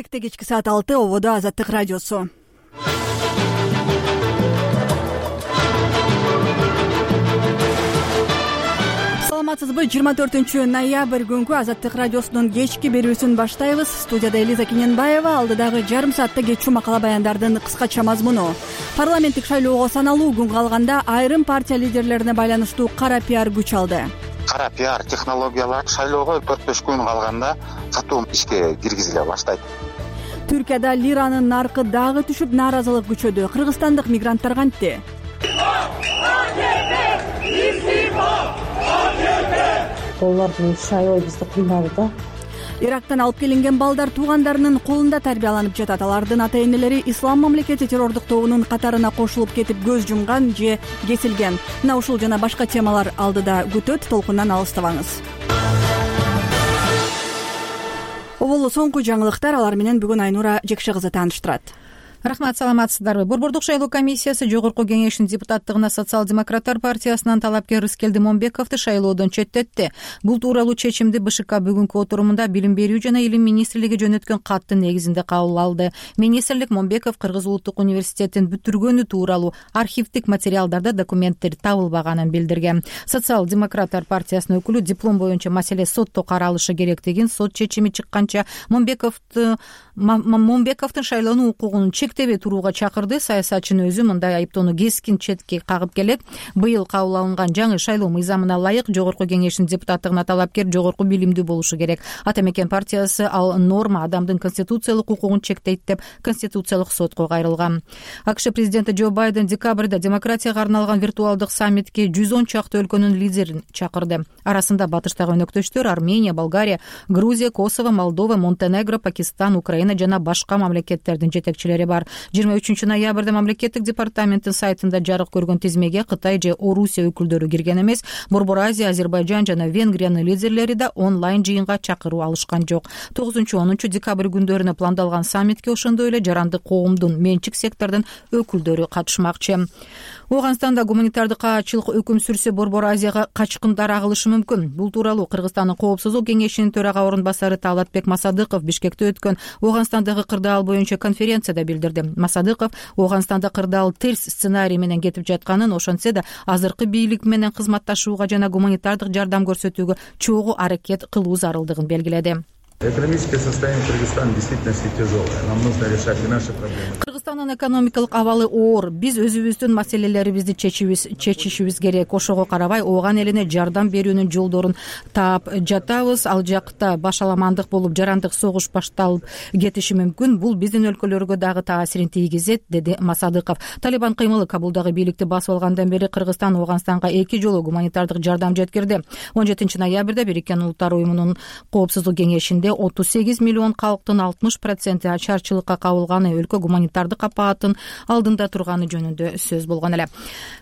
Кекте кечки саат 6 ободо Азаттык радиосу. Саламатсызбы? 24 ноябрь күнкү Азаттык радиосунун кечки берүүсүн баштайбыз. Студияда Элиза Кененбаева, алдыдагы жарым саатта кечүү макала баяндардын кыскача мазмуну. Парламенттик шайлоого саналуу күн калганда айрым партия лидерлерине байланыштуу кара пиар күч алды. Кара пиар технологиялар шайлоого 4-5 күн калганда катуу ишке киргизиле баштайт. Түркияда лиранын наркы дагы түшүп, нааразылык күчөдү. Кыргызстандык мигранттар кантти? Доллардын иши аябай бизди кыйнады да. Ирактан алып келинген балдар туугандарынын колунда тарбияланып жатат. Алардын ата-энелери Ислам мамлекети террордук тобунун катарына кошулуп кетип көз жумган же кесилген. Мына ушул жана башка темалар алдыда күтөт. Толкундан алыстабаңыз. Оболу соңку жаңылыктар, алар менен бүгүн Айнура Жекше кызы тааныштырат. Рахмат, саламатсыздарбы? Борбордук шайлоо комиссиясы Жогорку кеңештин депутаттыгына Социал-демократтар партиясынан талапкер Рыскелди Момбековду шайлоодон четтетти. Бул тууралуу чечимди БШК бүгүнкү отурумунда Билим берүү жана Илим министрлиги жөнөткөн каттын негизинде кабыл алды. Министрлик Момбеков Кыргыз улуттук университетин бүтүргөнү тууралуу архивдик материалдарда документтер табылбаганын билдирген. Социал-демократтар партиясынын өкүлү диплом боюнча маселе сотто каралышы керектигин, сот чечими чыкканча Момбековдун шайлоонун укугун чектебей турууга чакырды. Саясатчынын өзү мындай айыптоону кескин четке кагып келет. Быйыл кабыл алынган жаңы шайлоо мыйзамына ылайык Жогорку кеңештин депутаттыгына талапкер жогорку билимдүү болушу керек. Ата мекен партиясы ал норма адамдын конституциялык укугун чектейт деп Конституциялык сотко кайрылган. АКШ президенти Джо Байден декабрда демократияга арналган виртуалдык саммитке 110 чакты өлкөнүн лидерин чакырды. Арасында батыштагы өнөктөштөр Армения, Болгария, Грузия, Косово, Молдова, Монтенегро, Пакистан, Украина жана башка мамлекеттердин жетекчилери бар. 23 ноябрда мамлекеттик департаменттин сайтында жарык көргөн тизмеге Кытай же Орусия өкүлдөрү кирген эмес. Борбор Азия, Азербайжан жана Венгриянын лидерлери да онлайн жыйынга чакыруу алышкан жок. 9-10 декабрь күндөрүнө пландалган саммитке ошондой эле жарандык коомдун, менчик сектордун өкүлдөрү катышмакчы. Ооганстанда гуманитардык каачылык өкүм сүрсө, Борбор Азияга качкындар агылышы мүмкүн. Бул тууралуу Кыргызстандын коопсуздук кеңешинин төрага орун басары Талатбек Масадыков Бишкекте өткөн Ооганстандагы кырдаал боюнча конференцияда билдирди. Масадыков Ооганстанда кырдаал терс сценарий менен кетип жатканын, ошентсе да азыркы бийлик менен кызматташууга жана гуманитардык жардам көрсөтүүгө чогуу аракет кылуу зарылдыгын белгиледи. Экономическое состояние Кыргызстана действительно тяжелое. Нам нужно решать и наши проблемы. Кыргызстандын экономикалык абалы оор. Биз өзүбүздүн маселелерибизди чечишибиз керек. Ошого карабай ооган элине жардам берүүнүн жолдорун таап жатабыз. Ал жакта башаламандык болуп, жарандык согуш башталып кетиши мүмкүн. Бул биздин өлкөлөргө дагы таасирин тийгизет, деди Масадыков. Талибан кыймылы Кабулдагы бийликти басып алгандан бери Кыргызстан Ооганстанга 2 жолу гуманитардык жардам жеткирди. 17 ноябрда Бириккен Улуттар уюмунун коопсуздук кеңешинде 38 миллион калктын 60% ачарчылыкка кабылганы, өлкө гуманитардык апааттын алдында турганы жөнүндө сөз болгон эле.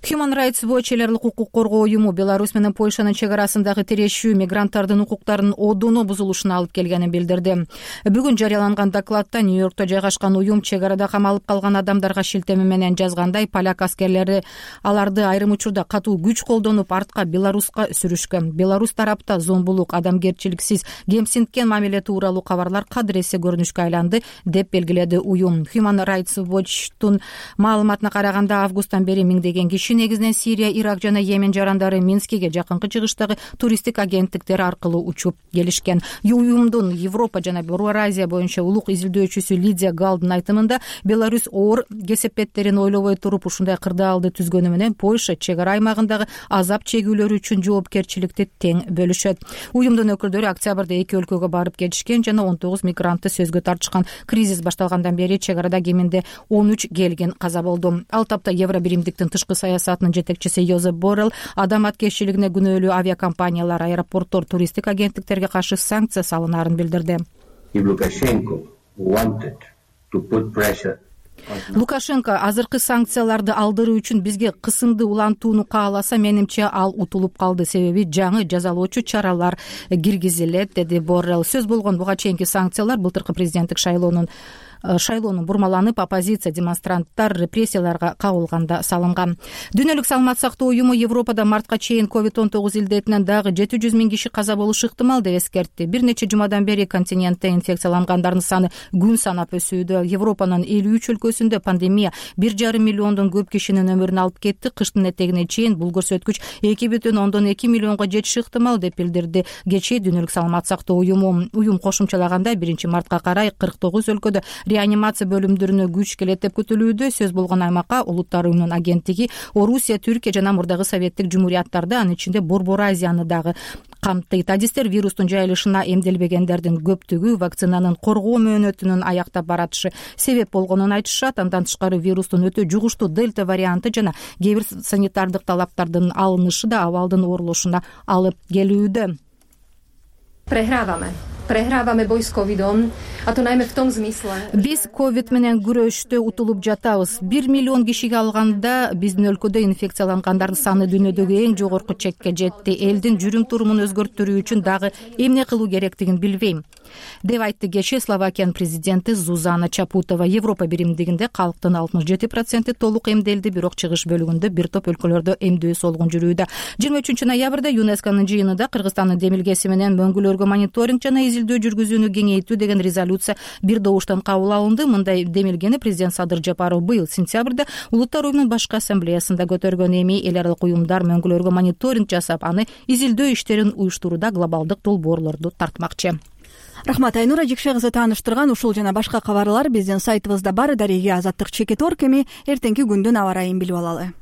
Human Rights Watch элерлик укук коргоо уюму Беларусь менен Польшанын чек арасындагы тирешүү мигранттардын укуктарынын одуну бузулушуна алып келгенин билдирди. Бүгүн жарыяланган докладта Нью-Йоркто жайгашкан уюм чек арада камалып калган адамдарга шилтеме менен жазгандай, поляк аскерлери аларды айрым учурда катуу күч колдонуп артка Беларуска сүрүшкөн. Беларусь тарапта зомбулук, адамгерчиликсиз, кемсинткен мамиле тууралуу кабарлар кадыресе көрүнүшкө айланды деп белгиледи уюм. Human Rights Watch'тун маалыматына караганда, августтан бери миңдеген киши, негизинен Сирия, Ирак жана Йемен жарандары Минскиге жакынкы чыгыштагы туристтик агенттиктер аркылуу учуп келишкен. Уюмдун Европа жана Борбор Азия боюнча улук изилдөөчүсү Лидия Галдын айтымында, Беларусь оор кесепеттерин ойлобой туруп ушундай кырдаалды түзгөнү менен Польша чек ара аймагындагы азап чегүүлөр үчүн жоопкерчиликти тең бөлүшөт. Уюмдун өкүлдөрү октябрда эки өлкөгө барып кетишкен жана 19 мигрантты сөзгө тартышкан. Кризис башталгандан бери чек арада кеминде 13 келгин каза болду. Ал тапта Евробиримдиктин тышкы саясатынын жетекчиси Йозеп Боррелл адаматкерчилигине күнөөлүү авиакомпаниялар, аэропорттор, туристтик агенттиктерге каршы санкция салынаарын билдирди. Лукашенко азыркы санкцияларды алдыруу үчүн бизге кысымды улантууну кааласа, менимче ал утулуп калды, себеби жаңы жазалоочу чаралар киргизилет, деди Боррелл. Сөз болгон буга чейинки санкциялар былтыркы президенттик шайлоонун шайлоонун бурмаланып, оппозиция демонстранттар репрессияларга кабылганда салынган. Дүйнөлүк саламаттык сактоо уюму Европада мартка чейин COVID-19 илдетинен дагы 700 000 киши каза болушу ыктымал деп эскертти. Бир нече жумадан бери континентте инфекциялангандардын саны күн санап өсүүдө. Европанын 53 өлкөсүндө пандемия 1,5 миллиондон көп кишинин өмүрүн алып кетти. Кыштын этегине чейин бул көрсөткүч 2,2 миллионго жетиши ыктымал деп билдирди кечээ Дүйнөлүк саламаттык сактоо уюму. Уюм кошумчалаганда 1-мартка карай 49 өлкөдө реанимация бөлүмдөрүнө күч келет деп күтүлүүдө. Сөз болгон аймакка Улуттар уюмунун агенттиги Орусия, Түркия жана мурдагы советтик жумуриyaттарды, анын ичинде Борбор Азияны дагы камтыйт. Адистер вирустун жайылышына эмделбегендердин көптүгү вакцинанын коргоо мөөнөтүнүн аяктап баратышы себеп болгонун айтышат. Андан тышкары вирустун өтө жугуштуу дельта варианты жана кээ бир санитардык талаптардын алынышы да абалдын оорулушуна алып келүүдө. Преграваме бой с ковидом, а то найме в том смысле. Биз ковид менен күрөштө утулуп жатабыз. 1 миллион кишиге алганда биздин өлкөдө инфекциялангандардын саны дүйнөдөгү эң жогорку чекке жетти. Элдин жүрүм турумун өзгөртүү үчүн дагы эмне кылуу керектигин билбейм, деп айтты кечээ Словакиянын президенти Зузана Чапутова. Европа биримдигинде калктын 67% толук эмделди, бирок чыгыш бөлүгүндө бир топ өлкөлөрдө эмдөө солгун жүрүүдө. 23 ноябрда ЮНЕСКОнун жыйынында Кыргызстандын демилгеси менен мөңгүлөргө мониторинг жана изилдөө жүргүзүүнү кеңейтүү деген резолюция бир добуштан кабыл алынды. Мындай демилгени президент Садыр Жапаров быйыл сентябрда Улуттар уюмунун башкы ассамблеясында көтөргөн. Эми эл аралык уюмдар мөңгүлөргө мониторинг жасап, аны изилдөө иштерин уюштурууда глобалдык долбоорлорду тартмакчы. Рахмат, Айнура Жекше кызы тааныштырган ушул жана башка кабарлар биздин сайтыбызда бар. Дареге Азаттык Чекит.org. Эми эртеңки күндүн аба ырайын билип алалы.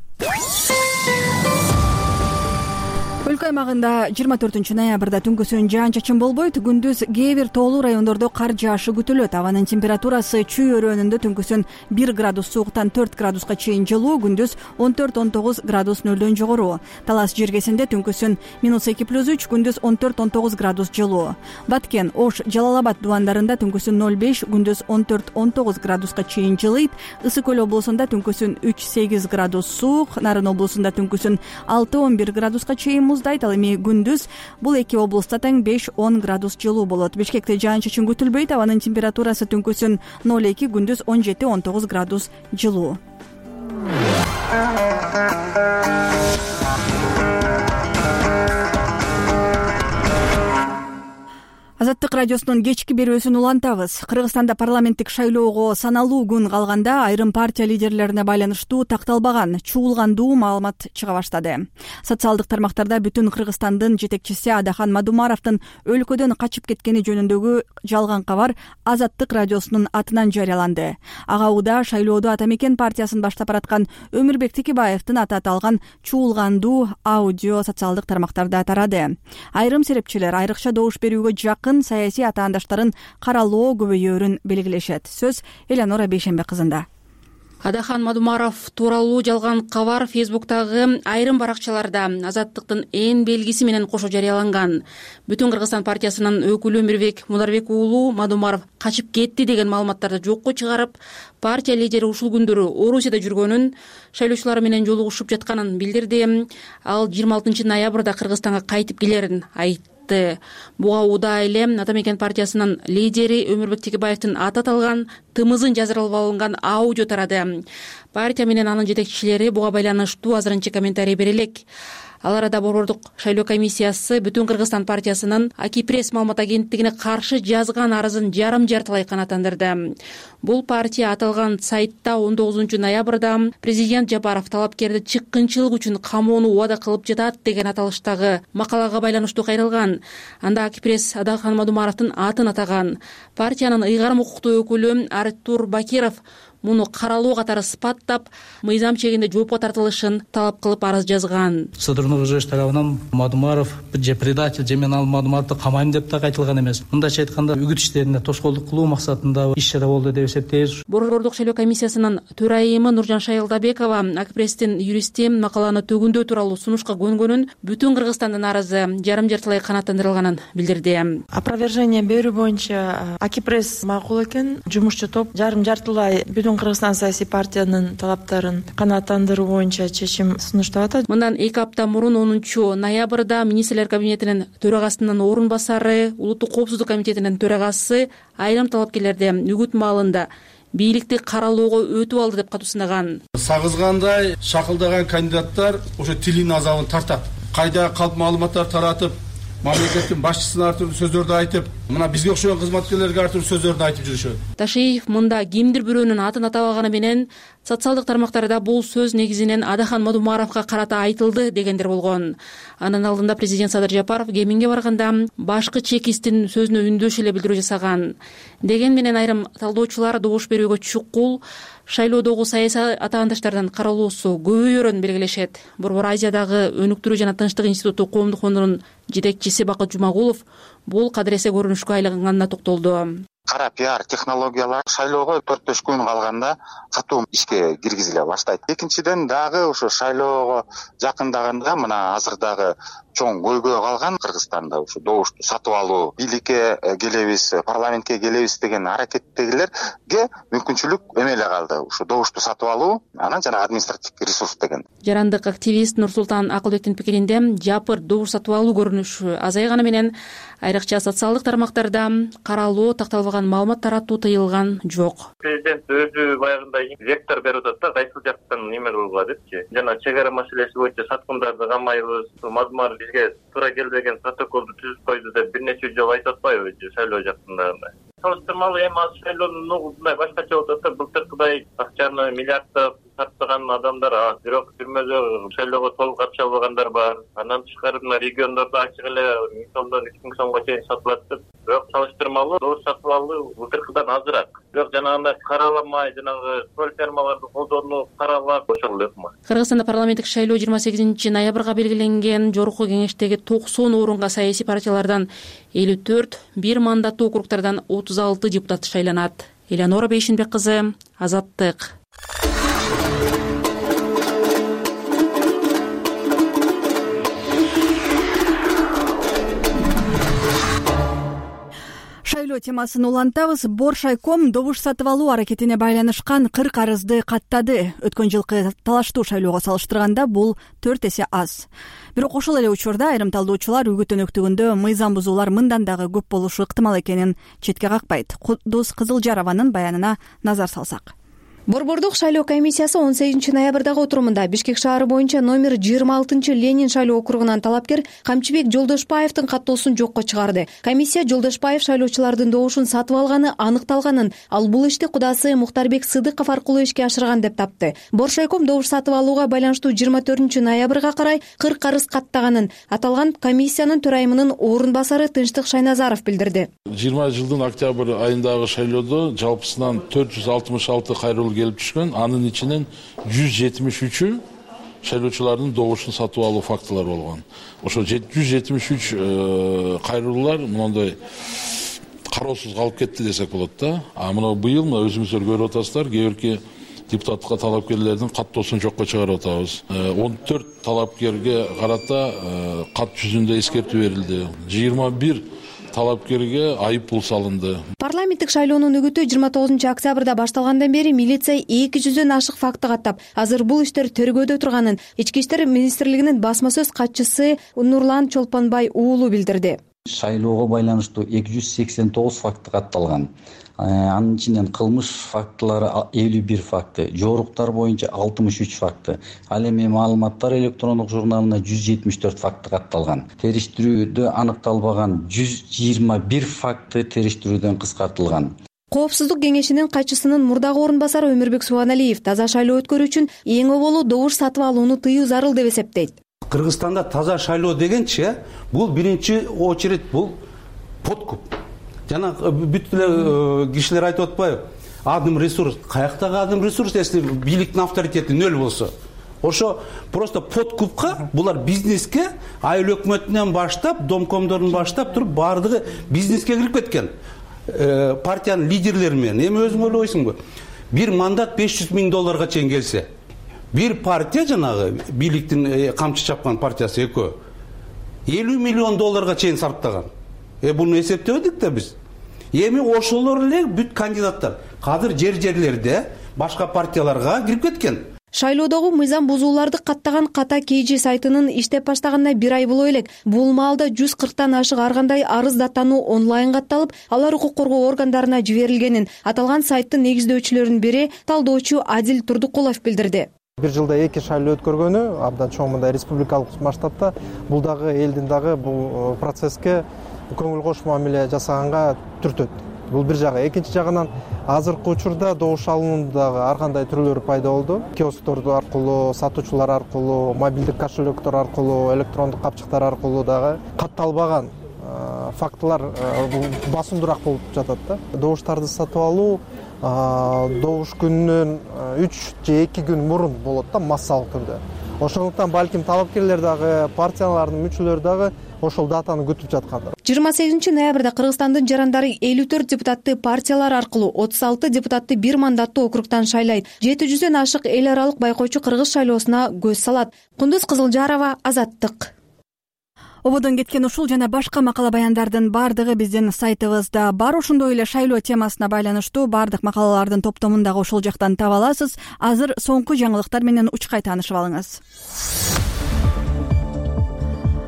Өлкө аймагында 24 ноябрда түнкүсүн жаан-чачын болбойт. Күндүз кээ бир тоолуу райондордо кар жаашы күтүлөт. Абанын температурасы чүй өрөөнүндө түнкүсүн 1 градус сууктан 4 градуска чейин жылуу, күндүз 14-19 градус нөлдөн жогору. Талас жергесинде түнкүсүн -2+3, күндүз 14-19 градус жылуу. Баткен, Ош, Жалал-Абад дубандарында түнкүсүн 0,5, күндүз 14-19 градуска чейин жылыйт. Ысык көл облусунда түнкүсүн 3-8 градус суук, Нарын облусунда түнкүсүн 6-11 градуска чейин муздайт. Ал эми күндүз бул эки облуста тең 5-10 градус жылуу болот. Бишкекте жаан-чачын күтүлбөйт. Абанын температурасы түнкүсүн 0,2, күндүз 17-19 градус жылуу. Азаттык радиосунун кечки берүүсүн улантабыз. Кыргызстанда парламенттик шайлоого саналуу күн калганда айрым партия лидерлерине байланыштуу такталбаган, чуулгандуу маалымат чыга баштады. Социалдык тармактарда бүтүн Кыргызстандын жетекчиси Адахан Мадумаровдун өлкөдөн качып кеткени жөнүндөгү жалган кабар Азаттык радиосунун атынан жарыяланды. Ага уда шайлоодо Ата Мекен партиясын баштап бараткан Өмүрбек Текебаевдин аты аталган чуулгандуу аудио социалдык тармактарда тарады. Айрым серепчилер айрыкча добуш берүүгө жакын саясий атаандаштарын каралоо көбөйөөрүн белгилешет. Сөз Элеонора Бейшембе кызында. Адахан Мадумаров тууралуу жалган кабар Фейсбуктагы айрым баракчаларда Азаттыктын эн белгиси менен кошо жарыяланган. Бүтүн Кыргызстан партиясынын өкүлү Өмүрбек Мударбек уулу Мадумаров качып кетти деген маалыматтарды жокко чыгарып, партия лидери ушул күндөрү Орусияда жүргөнүн, шайлоочулар менен жолугушуп жатканын билдирди. Ал 26 ноябрда Кыргызстанга кайтып келерин айтты. Буга уда эле Ата Мекен партиясынын лидери Өмүрбек Текебаевдин аты аталган тымызын жаздырылып алынган аудио тарады. Партия менен анын жетекчилери буга байланыштуу азырынча комментарий бере элек. Ал арада Борбордук шайлоо комиссиясы Бүтүн Кыргызстан партиясынын Акипресс маалымат агенттигине каршы жазган арызын жарым-жартылай канааттандырды. Бул партия аталган сайтта 19 ноябрда президент Жапаров талапкерди чыккынчылык үчүн камоону убада кылып жатат деген аталыштагы макалага байланыштуу кайрылган. Анда Акипресс Адахан Мадумаровдун атын атаган. Партиянын ыйгарым укуктуу өкүлү Артур Бакиров муну каралуу катары сыпаттап, мыйзам чегинде жоопко тартылышын талап кылып арыз жазган. Содрунук ЖЭШ тарабынан Мадумаров же предатель, же мен ал Мадумаровду камайм деп так айтылган эмес. Мындайча айтканда, үгүт иштерине тошкоолдук кылуу максатында иш чара болду деп эсептейбиз. Борбордук шайлоо комиссиясынын төрайымы Нуржан Шайылдабекова Акипресстин юристи макаланы төгүндөө тууралуу сунушка көнгөнүн, Бүтүн Кыргызстандын арызы жарым-жартылай канааттандырылганын билдирди. Опровержение берүү боюнча Акипресс макул экен. Жумушчу топ жарым-жартылай Бүтүн Батыш Кыргызстан саясий партиянын талаптарын канааттандыруу боюнча чечим сунуштап атат. Мындан 2 апта мурун 10 ноябрда министрлер кабинетинин төрагасынын орун басары, улуттук коопсуздук комитетинин төрагасы айрым талапкерлерди үгүт маалында бийликти каралоого өтүп алды деп катуу сынаган. Сагызгандай шакылдаган кандидаттар ошо тилинин азабын тартат. Кайда калп маалыматтар таратып, мамлекеттин башчысына ар түрдүү сөздөрдү айтып, мына бизге окшогон кызматкерлерге ар түрдүү сөздөрдү айтып жүрүшөт. Ташиев мында кимдир бирөөнүн атын атабаганы менен социалдык тармактарда бул сөз негизинен Адахан Мадумаровго карата айтылды дегендер болгон. Анын алдында президент Садыр Жапаров Кеминге барганда башкы чекисттин сөзүнө үндөш эле билдирүү жасаган. Деген менен айрым талдоочулар добуш берүүгө чукул шайлоодогу саясий атаандаштардын каралуусу көбөйөрүн белгилешет. Борбор Азиядагы өнүктүрүү жана тынчтык институту коомдук фондунун жетекчиси Бакыт Жумагулов бул кадыресе көрүнүшкө айланганына токтолду. Кара пиар технологиялар шайлоого 4-5 күн калганда катуу ишке киргизиле баштайт. Экинчиден дагы ошо шайлоого жакындаганда мына азыр дагы чоң көйгөй калган Кыргызстанда ошо добушту сатып алуу, бийликке келебиз, парламентке келебиз деген аракеттегилерге мүмкүнчүлүк эмеле калды. Ошо добушту сатып алуу, анан жана административдик ресурс деген. Жарандык активист Нурсултан Акылбектин пикиринде жапыр добуш сатып алуу көрүнүшү азайганы менен айрыкча социалдык тармактарда каралоо такталбаган маалымат таратуу тыйылган жок. Президент өзү баягындай вектор берип атат да, кайсы жактан неме кылууга депчи. Жана чек ара маселеси боюнча саткындарды камайбыз, Мадумаров бизге туура келбеген протоколду түзүп койду деп бир нече жолу айтып атпайбы шайлоо жактында. Салыштырмалуу эми азыр шайлоонун мындай башкача болуп атат. Былтыркыдай акчаны миллиарддап сатпаган адамдар аз, бирок түрмөдө шайлоого толук катыша албагандар бар. Андан тышкары мына региондордо ачык эле 1000 сомдон 3000 сомго чейин сатылат деп. Бирок салыштырмалуу добуш сатып алуу былтыркыдан азыраак. Бирок жанагындай караламай, жанагы көл фермаларды колдонуу каралап ошол эле. Кыргызстанда парламенттик шайлоо 28 ноябрга белгиленген. Жогорку кеңештеги 90 орунга саясий партиялардан 54, бир мандаттуу округдардан 36 депутат шайланат. Элеонора Бейшинбек кызы, Азаттык. Шайлоо темасын улантабыз. Боршайком добуш сатып алуу аракетине байланышкан 40 арызды каттады. Өткөн жылкы талаштуу шайлоого салыштырганда бул 4 эсе аз. Бирок ошол эле учурда айрым талдоочулар үгүт өнөктүгүндө мыйзам бузуулар мындан дагы көп болушу ыктымал экенин четке какпайт. Кудус Кызылжарованын баянына назар салсак. Борбордук шайлоо комиссиясы 18 ноябрдагы отурумунда Бишкек шаары боюнча номер 26 Ленин шайлоо округунан талапкер Камчыбек Жолдошбаевдин каттоосун жокко чыгарды. Комиссия Жолдошбаев шайлоочулардын добушун сатып алганы аныкталганын, ал бул ишти кудасы Мухтарбек Сыдыков аркылуу ишке ашырган деп тапты. Боршайком добуш сатып алууга байланыштуу 24 ноябрга карай 40 арыз каттаганын аталган комиссиянын төрайымынын орун басары Тынчтык Шайназаров билдирди. 20 жылдын октябрь айындагы шайлоодо жалпысынан 466 кайрылуу келип түшкөн. Анын ичинен 173 шайлоочулардын добушун сатып алуу фактылары болгон. Ошо 173 кайрылуулар мындай кароосуз калып кетти десек болот да. А мына быйыл өзүңүздөр көрүп атасыздар, кээ бирки депутатка талапкерлердин каттоосун жокко чыгарып атабыз. 14 талапкерге карата кат жүзүндө эскертүү берилди. 21 талапкерге айып пул салынды. Парламенттик шайлоонун үгүтү 29 октябрда башталгандан бери милиция 200дөн ашык факты каттап, азыр бул иштер тергөөдө турганын Ички иштер министрлигинин басма сөз катчысы Нурлан Чолпонбай уулу билдирди. Шайлоого байланыштуу 289 факты катталган. Анын ичинен кылмыш фактылары 51 факты, жоруктар боюнча 63 факты. Ал эми маалыматтар электрондук журналына 174 факты катталган. Териштирүүдө аныкталбаган 121 факты териштирүүдөн кыскартылган. Коопсуздук кеңешинин катчысынын мурдагы орун басары Өмүрбек Субаналиев таза шайлоо өткөрүү үчүн эң оболу добуш сатып алууну тыюу зарыл деп эсептейт. Кыргызстанда таза шайлоо дегенчи, бул биринчи очередь бул подкуп. Жана бүт эле кишилер айтып атпайбы? Адым ресурс, каяктагы адым ресурс, если бийликтин авторитети нөл болсо. Ошо просто подкупка, булар бизнеске, айыл өкмөтүнөн баштап, домкомдордун баштап туруп баардыгы бизнеске кирип кеткен. Партиянын лидерлери менен эми өзүң ойлойсуңбу? Бир мандат $500,000 чейин келсе, бир партия жанагы бийликтин камчы чапкан партиясы экөө $50 миллион чейин сарптаган. Буну эсептебедик да биз. Эми ошолор эле бүт кандидаттар. Азыр жерлерде башка партияларга кирип кеткен. Шайлоодогу мыйзам бузууларды каттаган Ката KG сайтынын иштеп баштаганына 1 ай боло элек. Бул маалда 140тан ашык ар кандай арыз даттануу онлайн катталып, алар укук коргоо органдарына жиберилгенин аталган сайттын негиздөөчүлөрүнүн бири талдоочу Адил Турдукулов билдирди. Бир жылда 2 шайлоо өткөргөнү абдан чоң мындай республикалык масштабта бул дагы элдин дагы бул процесске көңүл кош мамиле жасаганга түртөт. Бул бир жагы. Экинчи жагынан азыркы учурда добуш алуунун дагы ар кандай түрлөрү пайда болду. Киосктор аркылуу, сатуучулар аркылуу, мобилдик кошелектор аркылуу, электрондук капчыктар аркылуу дагы катталбаган фактылар басымдуураак болуп жатат да. Добуштарды сатып алуу добуш күнүнөн 3 же 2 күн мурун болот да, массалык түрдө. Ошондуктан балким талапкерлер дагы, партиялардын мүчөлөрү дагы ошол датаны күтүп жаткандыр. 28 ноябрда Кыргызстандын жарандары 54 депутатты партиялар аркылуу 36 депутатты бир мандаттуу округтан шайлайт. 700дөн ашык эл аралык байкоочу кыргыз шайлоосуна көз салат. Кундуз Кызылжарова, Азаттык. Ободон кеткен ушул жана башка макала баяндардын бардыгы биздин сайтыбызда бар. Ошондой эле шайлоо темасына байланыштуу бардык макалалардын топтомун дагы ошол жактан таба аласыз. Азыр соңку жаңылыктар менен учкай таанышып алыңыз.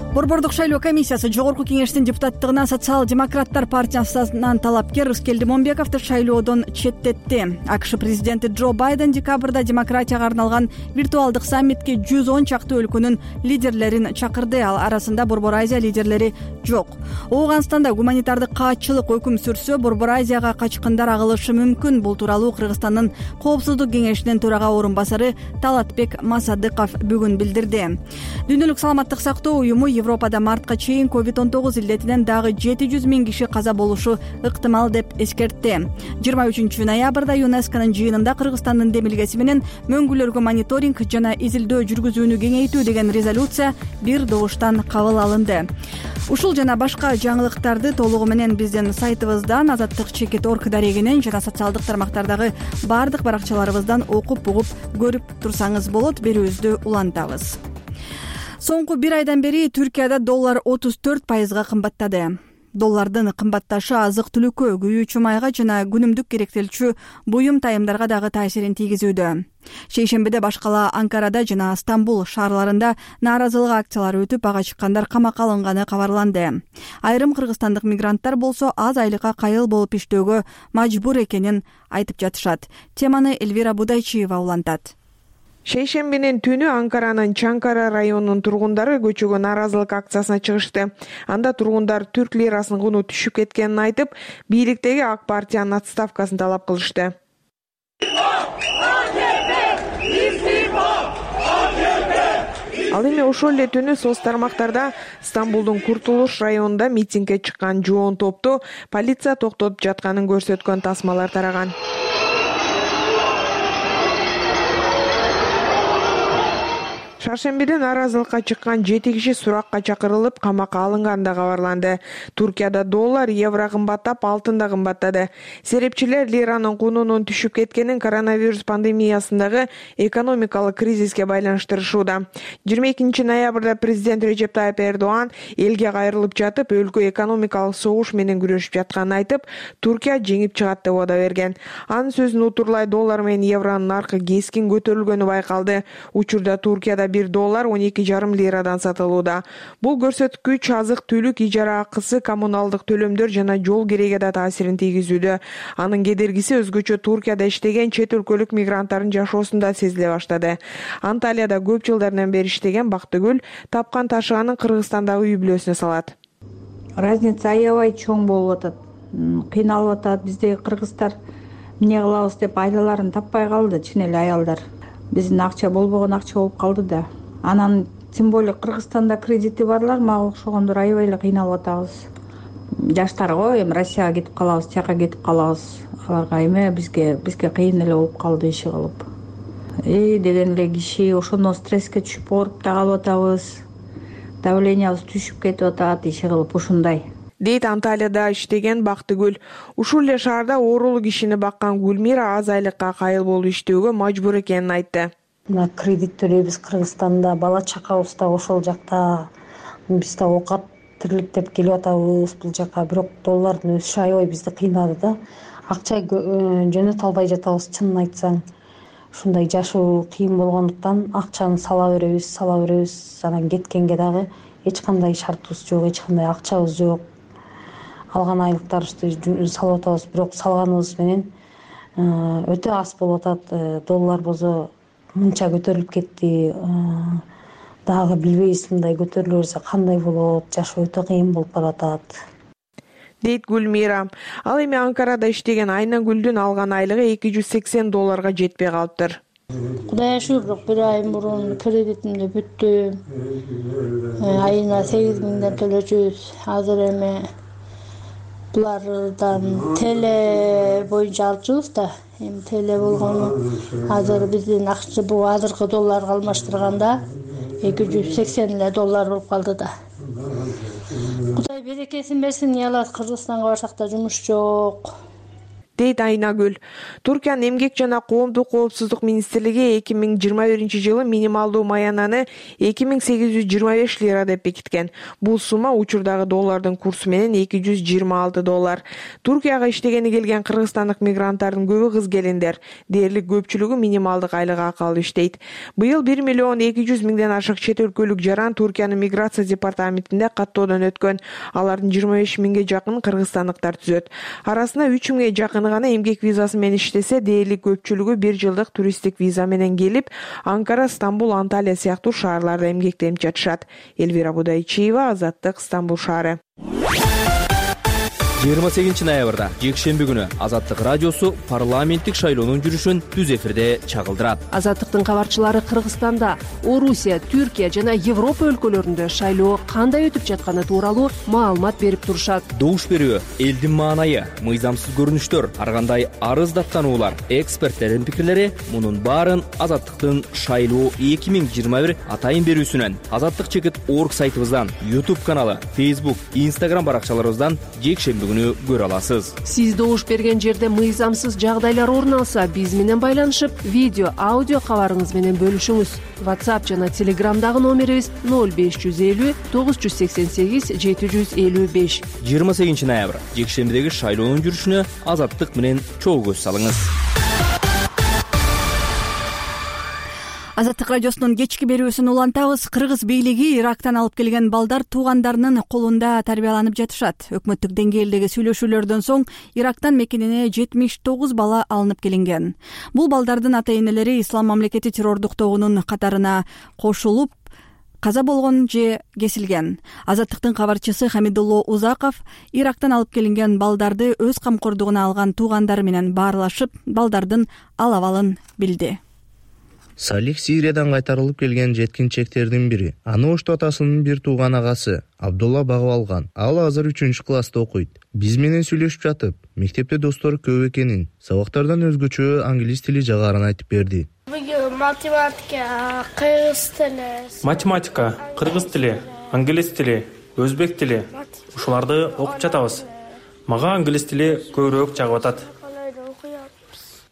Борбордук шайлоо комиссиясы жогорку кеңештин депутаттыгына социал-демократтар партиясынан талапкер Рыскелди Момбековду шайлоодон четтетти. АКШ президенти Джо Байден декабрда демократияга арналган виртуалдык саммитке 110 чакты өлкөнүн лидерлерин чакырды. Ал арасында Борбор Азия лидерлери жок. Ооганстанда гуманитардык каатчылык өкүм сүрсө, Борбор Азияга качкындар агылышы мүмкүн. Бул тууралуу Кыргызстандын коопсуздук кеңешинин төрага орун басары Талатбек Масадыков бүгүн билдирди. Дүйнөлүк саламаттык сактоо уюму Европада мартка чейин COVID-19 илдетинен дагы 700 000 киши каза болушу ыктымал деп эскертти. 23 ноябрда ЮНЕСКОнун жыйынында Кыргызстандын демилгеси менен мөңгүлөргө мониторинг жана изилдөө жүргүзүүнү кеңейтүү деген резолюция бир добуштан кабыл алынды. Ушул жана башка жаңылыктарды толугу менен биздин сайтыбыздан, Азаттык.org дарегинен жана социалдык тармактардагы бардык баракчаларыбыздан окуп угуп көрүп турсаңыз болот. Берүүбүздү улантабыз. Соңку 1 айдан бери Түркияда доллар 34% кымбаттады. Доллардын кымбатташы азык-түлүккө, күйүүчү майга жана күнүмдүк керектелчү буюм тайымдарга дагы таасирин тийгизүүдө. Шейшембиде башкала Анкарада жана Стамбул шаарларында нааразылык акциялары өтүп, ага чыккандар камакка алынганы кабарланды. Айрым кыргызстандык мигранттар болсо аз айлыкка кайыл болуп иштөөгө мажбур экенин айтып жатышат. Теманы Элвира Будайчиева улантат. Шейшембинин түнү Анкаранын Чанкара районунун тургундары көчөгө нааразылык акциясына чыгышты. Анда тургундар түрк лирасынын куну түшүп кеткенин айтып, бийликтеги ак партиянын отставкасын талап кылышты. Ал эми ошол эле түнү соц тармактарда Стамбулдун Куртулуш районунда митингге чыккан жоон топту полиция токтотуп жатканын көрсөткөн тасмалар тараган. Шаршембиде нааразылыкка чыккан 7 киши суракка чакырылып, камакка алынганы да кабарланды. Туркияда доллар, евро кымбаттап, алтын да кымбаттады. Серепчилер лиранын кунунун түшүп кеткенин коронавирус пандемиясындагы экономикалык кризиске байланыштырышууда. 22 ноябрда президент Режеп Тайып Эрдоан элге кайрылып жатып, өлкө экономикалык согуш менен күрөшүп жатканын айтып, Туркия жеңип чыгат деп убада берген. Анын сөзүн утурлай доллар менен евронун наркы кескин көтөрүлгөнү байкалды. Учурда Туркияда $1 12,5 лирадан сатылууда. Бул көрсөткүч азык-түлүк, ижара акысы, коммуналдык төлөмдөр жана жол кереге да таасирин тийгизүүдө. Анын кедергиси өзгөчө Туркияда иштеген чет өлкөлүк мигранттардын жашоосунда сезиле баштады. Анталияда көп жылдардан бери иштеген Бактыгүл тапкан ташыганын Кыргызстандагы үй бүлөсүнө салат. Разница аябай чоң болуп атат. Кыйналып атат. Бизде кыргыздар эмне кылабыз деп айлаларын таппай калды, чын эле аялдар. Биздин акча болбогон акча болуп калды да. Анан тем более Кыргызстанда кредити барлар мага окшогондор аябай эле кыйналып атабыз. Жаштарга эми Россияга кетип калабыз, тияка кетип калабыз. Аларга эме бизге кыйын эле болуп калды иши кылып. Деген эле киши ошондон стресске түшүп ооруп да калып атабыз. Давлениябыз түшүп кетип атат иши кылып ушундай. Дейт Анталияда иштеген Бактыгүл. Ушул эле шаарда оорулуу кишини баккан Гүлмира аз айлыкка кайыл болуп иштөөгө мажбур экенин айтты. Мына кредит төлөйбүз Кыргызстанда, бала чакабыз да ошол жакта. Биз да оокат тирликтеп келип атабыз бул жака, бирок доллардын өсүшү аябай бизди кыйнады да. акча жөнөтө албай жатабыз. Чынын айтсаң, ушундай жашоо кыйын болгондуктан акчаны сала беребиз. Анан кеткенге дагы эч кандай шартыбыз жок, эч кандай акчабыз жок. Алган айлыктарыбызды салып атабыз, бирок салганыбыз менен өтө аз болуп атат. Доллар болсо мынча көтөрүлүп кетти. Дагы билбейбиз, мындай көтөрүлө берсе кандай болот. Жашоо өтө кыйын болуп баратат, дейт Гүлмира. Ал эми Анкарада иштеген Айнагүлдүн алган айлыгы $280 жетпей калыптыр. Кудайга шүгүр, бир ай мурун кредитимди бүттү. Айына 8.000 төлөчүбүз. Азыр эми булардан теле боюнча алчубуз да. Эми теле болгону азыр биздин акча бул азыркы долларга алмаштырганда $280 болуп калды да. Кудай берекесин берсин, ялат Кыргызстанга барсак да жумуш жок, дейт Айнагүл. Туркиянын эмгек жана коомдук коопсуздук министрлиги 2021-жылы минималдуу маянаны 2825 лира деп бекиткен. Бул сумма учурдагы доллардын курсу менен $226. Туркияга иштегени келген кыргызстандык мигранттардын көбү кыз келиндер. Дээрлик көпчүлүгү минималдык айлык акы алып иштейт. Быйыл 1.200.000 ашык чет өлкөлүк жаран Туркиянын миграция департаментинде каттоодон өткөн. Алардын 25.000 жакын кыргызстандыктар түзөт. Арасында 3.000 жакын гана эмгек визасы менен иштесе, дээрлик көпчүлүгү 1 жылдык туристтик виза менен келип, Анкара, Стамбул, Анталия сыяктуу шаарларда эмгектенип жатышат. Элвира Будайчиева, Азаттык, Стамбул шаары. 28 ноябрда жекшемби күнү Азаттык радиосу парламенттик шайлоонун жүрүшүн түз эфирде чагылдырат. Азаттыктын кабарчылары Кыргызстанда, Орусия, Түркия жана Европа өлкөлөрүндө шайлоо кандай өтүп жатканы тууралуу маалымат берип турушат. Добуш берүү, элдин маанайы, мыйзамсыз көрүнүштөр, ар кандай арыз даттануулар, эксперттердин пикирлери — мунун баарын Азаттыктын шайлоо 2021 атайын берүүсүнөн, Азаттык.org сайтыбыздан, YouTube каналы, Facebook, Instagram баракчаларыбыздан жекшемби күнү көрө аласыз. Сиз добуш берген жерде мыйзамсыз жагдайлар орун алса, биз менен байланышып, видео, аудио кабарыңыз менен бөлүшүңүз. WhatsApp жана Telegramдагы номерибиз 0550 988 755. 28 ноябрь жекшембидеги шайлоонун жүрүшүнө Азаттык менен чогуу көз салыңыз. Азаттык радиосунун кечки берүүсүн улантабыз. Кыргыз бийлиги Ирактан алып келген балдар туугандарынын колунда тарбияланып жатышат. Өкмөттүк деңгээлдеги сүйлөшүүлөрдөн соң Ирактан мекенине 79 бала алынып келинген. Бул балдардын ата-энелери Ислам мамлекети террордук тобунун катарына кошулуп, каза болгон же кесилген. Азаттыктын кабарчысы Хамидулло Узаков Ирактан алып келинген балдарды өз камкордугуна алган туугандары менен баарлашып, балдардын ал-абалын билди. Салих Сириядан кайтарылып келген жеткинчектердин бири. Аны Ошту атасынын бир тууган агасы Абдулла багып алган. Ал азыр 3-класста окуйт. Биз менен сүйлөшүп жатып, мектепте достору көп экенин, сабактардан өзгөчө англис тили жагарын айтып берди. Математика, кыргыз тили, англис тили, өзбек тили. Ушуларды окуп жатабыз. Мага англис тили көбүрөөк жагып атат.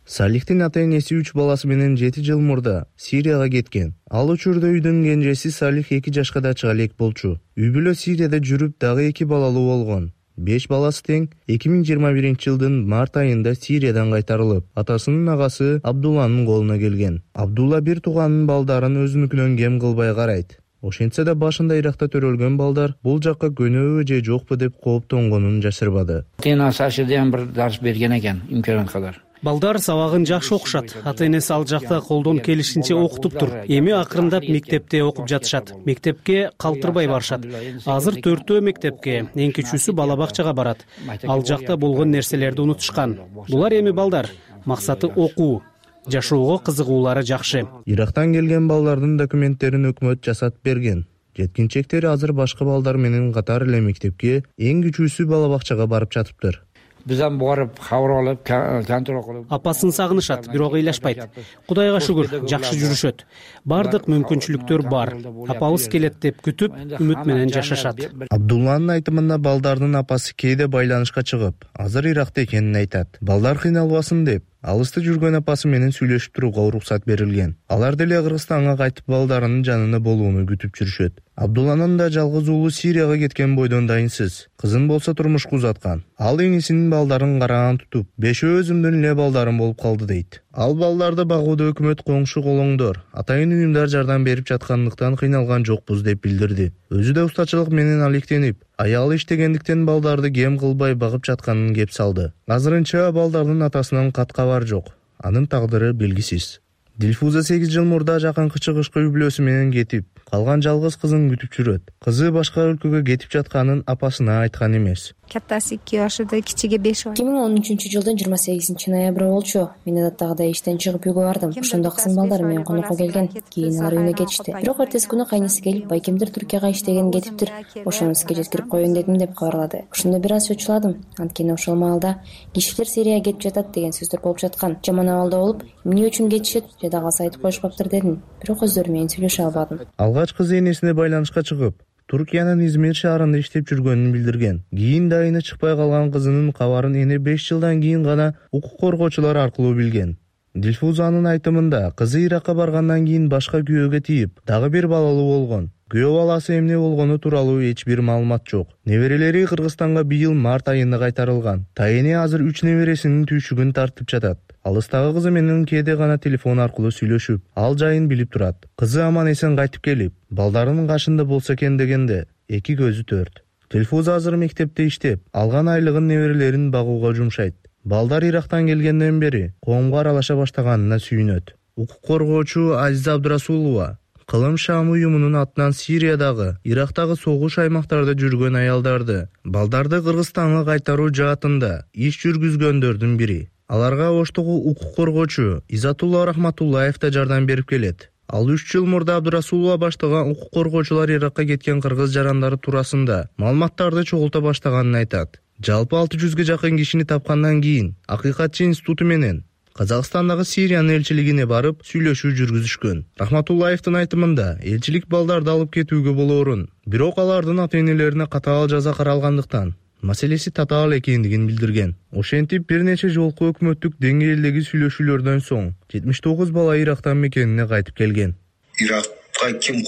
Салихтин ата-энеси 3 баласы менен 7 жыл мурда Сирияга кеткен. Ал учурда үйдүн кенжеси Салих 2 жашка да чыга элек болчу. Үй бүлө Сирияда жүрүп дагы 2 балалуу болгон. 5 баласы тең 2021-жылдын март айында Сириядан кайтарылып, атасынын агасы Абдулланын колуна келген. Абдулла бир тууганын балдарын өзүнүкүнөн кем кылбай карайт. Ошентсе да башында Иракта төрөлгөн балдар бул жакка көнөбү же жокпу деп кооптонгонун жашырбады. Ата-энеси бир дарс берген экен, имканат кадар. Балдар сабагын жакшы окушат. Ата-энеси ал жакта колдон келишинче окутуптур. Эми акырындап мектепте окуп жатышат. Мектепке калтырбай барышат. Азыр 4 мектепке, эң кичүүсү бала бакчага барат. Ал жакта болгон нерселерди унутушкан. Булар эми балдар. Максаты окуу. Жашоого кызыгуулары жакшы. Ирактан келген балдардын документтерин өкмөт жасатып берген. Жеткинчектер азыр башка балдар менен катар эле мектепке, эң кичүүсү бала бакчага барып жатыптыр. Бизден барып кабар алып, контроль кылып. Апасын сагынышат, бирок ыйлашпайт. Кудайга шүгүр, жакшы жүрүшөт. Бардык мүмкүнчүлүктөр бар. Апабыз келет деп күтүп, үмүт менен жашашат. Абдулланын айтымында балдардын апасы кээде байланышка чыгып, азыр Иракта экенин айтат. Балдар кыйналбасын деп, алыста жүргөн апасы менен сүйлөшүп турууга уруксат берилген. Алар деле Кыргызстанга кайтып балдарынын жанында болууну күтүп жүрүшөт. Абдулланын да жалгыз уулу Сирияга кеткен бойдон дайынсыз. Кызын болсо турмушка узаткан. Ал эңисинин балдарын караган тутуп, 5 өзүмдүн эле балдарым болуп калды дейт. Ал балдарды багууда өкмөт коңшу колоңдор, атайын уюмдар жардам берип жаткандыктан кыйналган жокпуз деп билдирди. Өзү да устачылык менен алектенип, аялы иштегендиктен балдарды кем кылбай багып жатканын кеп салды. Азырынча балдардын атасынан кат кабар жок. Анын тагдыры белгисиз. Дилфуза 8 жыл мурда жакынкы чыгышкы үй бүлөсү менен кетип, калган жалгыз кызын күтүп жүрөт. Кызы башка өлкөгө кетип жатканын апасына айткан эмес. Каттасы 2 жашта, кичиги 5 жаш. 2013 жылдын 28 ноябры болчу. Мен адаттагыдай иштен чыгып үйгө бардым. Ошондо кызым балдарым менен конокко келген. Кийин алар үйүнө кетишти. Бирок эртеси күнү кайнысы келип, байкемдер Түркияга иштеген кетиптир. Ошону сизге жеткирип коеюн дедим деп кабарлады. Ошондо бир аз чочуладым. Анткени ошол маалда кишилер Сирияга кетип жатат деген сөздөр болуп жаткан. Жаман абалда болуп, эмне үчүн кетишет, жада калса айтып коюшпаптыр дедим. Бирок өздөрү менен сүйлөшө албадым. Алгач кызы энесине байланышка чыгып, Туркиянын Измир шаарында иштеп жүргөнүн билдирген. Кийин дайыны чыкпай калган кызынын кабарын эне 5 жылдан кийин гана укук коргоочулар аркылуу билген. Дилфузанын айтымында кызы Иракка баргандан кийин башка күйөөгө тийип, дагы бир балалуу болгон. Күйөө баласы эмне болгону тууралуу эч бир маалымат жок. Неберелери Кыргызстанга быйыл март айында кайтарылган. Тайыни азыр 3 небересинин түйшүгүн тартып жатат. Алыстагы кызы менен кээде гана телефон аркылуу сүйлөшүп, ал жайын билип турат. Кызы аман эсен кайтып келип, балдарынын кашында болсо экен дегенде, эки көзү төрт. Дилфуза азыр мектепте иштеп, алган айлыгын неберелерин багууга жумшайт. Балдар Ирактан келгенден бери коомго аралаша баштаганына сүйүнөт. Укук коргоочу Азиза Абдурасулова Кылым Шам уюмунун атынан Сириядагы, Ирактагы согуш аймактарда жүргөн аялдарды, балдарды Кыргызстанга кайтаруу жаатында иш жүргүзгөндөрдүн бири. Аларга Оштогу укук коргоочу Изатулла Рахматуллаев да жардам берип келет. Ал 3 жыл мурда Абдурасулова баштаган укук коргоочулар Иракка кеткен кыргыз жарандары туурасында маалыматтарды чогулта баштаганын айтат. Жалпы 600ге жакын кишини тапкандан кийин Акыйкатчы институту менен Казакстандагы Сириянын элчилигине барып сүйлөшүү жүргүзүшкөн. Рахматуллаевдин айтымында, элчилик балдарды алып кетүүгө болоорун, бирок алардын ата-энелерине катаал жаза каралгандыктан маселеси татаал экендигин билдирген. Ошентип бир нече жолку өкмөттүк деңгээлдеги сүйлөшүүлөрдөн соң 79 бала Ирактан мекенине кайтып келген. Иракка ким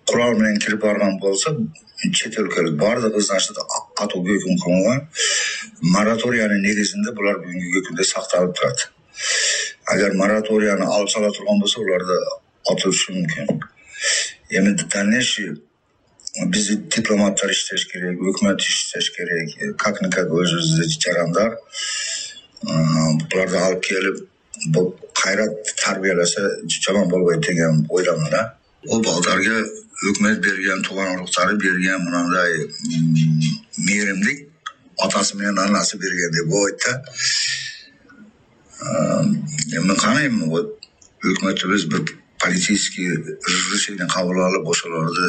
курал менен кирип барган болсо, чет өлкөлүк баардыгы значит катуу өкүм кылынган. Мораториянын негизинде булар бүгүнкү күндө сакталып турат. Агар мораторияны алып сала турган болсо, уларды отурушу мүмкүн. Эми дальнейший биз дипломаттар иштеш керек, өкмөт иштеш керек, как-никак өзүбүздө жарандар буларды алып келип, бул кайра тарбияласа жаман болбойт деген ойдомун да. Ол балдарга өкмөт берген, тууган уруктары берген мындай мээримдик атасы менен анасы бергендей болот да. Мен карайм, өкмөтүбүз бир политический решение кабыл алып, ошолорду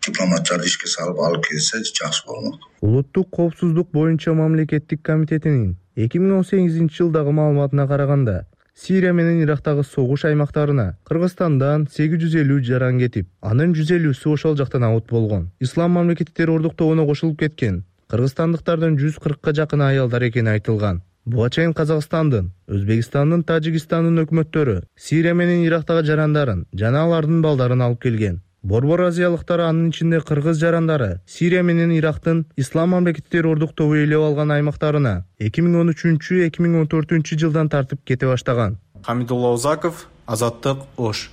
дипломаттарды ишке салып алып келсе жакшы болмок. Улуттук коопсуздук боюнча мамлекеттик комитетинин 2018 жылдагы маалыматына караганда, Сирия менен Ирактагы согуш аймактарына Кыргызстандан 850 жаран кетип, анын 150сү ошол жактан абут болгон. Ислам мамлекеттер ордуктоогуна кошулуп кеткен кыргызстандыктардын 140ка жакын аялдар экени айтылган. Буга чейин Казакстандын, Өзбекстандын, Тажикстандын өкмөттөрү Сирия менен Ирактагы жарандарын жана алардын балдарын алып келген. Борбор азиялыктар, анын ичинде кыргыз жарандары, Сирия менен Ирактын Ислам мамлекеттер ордуктоого ээлеп алган аймактарына 2013-2014 жылдан тартып кете баштаган. Хамидулла Узаков, Азаттык, Ош.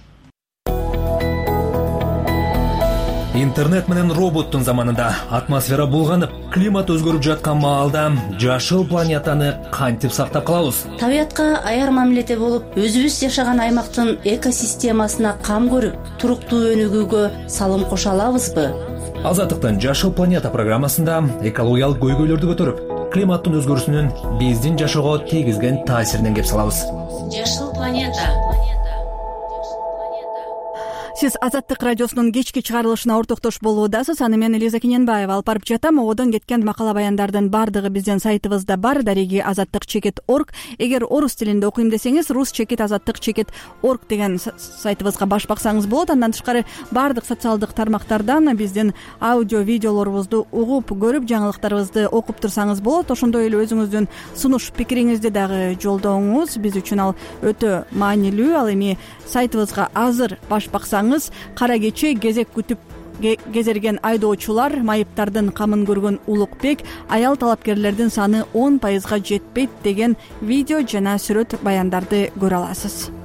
Интернет менен роботтун заманында атмосфера булганып, климат өзгөрүп жаткан маалда жашыл планетаны кантип сактап калабыз? Табиятка аяр мамиледе болуп, өзүбүз жашаган аймактын экосистемасына кам көрүп, туруктуу өнүгүүгө салым кошо алабызбы? Азаттыктын Жашыл планета программасында экологиялык көйгөйлөрдү көтөрүп, климаттын өзгөрүүсүнүн биздин жашоого тийгизген таасиринен кеп салабыз. Жашыл планета. Сиз Азаттык радиосунун кечки чыгарылышына ортоктош болуудасыз. Аны мен Элиза Кененбаева алып барып жатам. Одон кеткен макала баяндардын бардыгы биздин сайтыбызда бар, дареги azattik.org. Эгер орус тилинде окуйм десеңиз, rus-azattik.org деген сайтыбызга баш баксаңыз болот. Андан тышкары бардык социалдык тармактардан биздин аудио видеолорубузду угуп, көрүп, жаңылыктарыбызды окуп турсаңыз болот. Ошондой эле өзүңүздүн сунуш пикириңизди дагы жолдооңуз биз үчүн ал өтө маанилүү. Ал эми сайтыбызга азыр баш баксаңыз, кара кече кезек күтүп кезерген айдоочулар майыптардын камын көргөн Улукбек аял талапкерлердин саны 10% жетпейт деген видео жана сүрөт баяндарды көрө аласыз.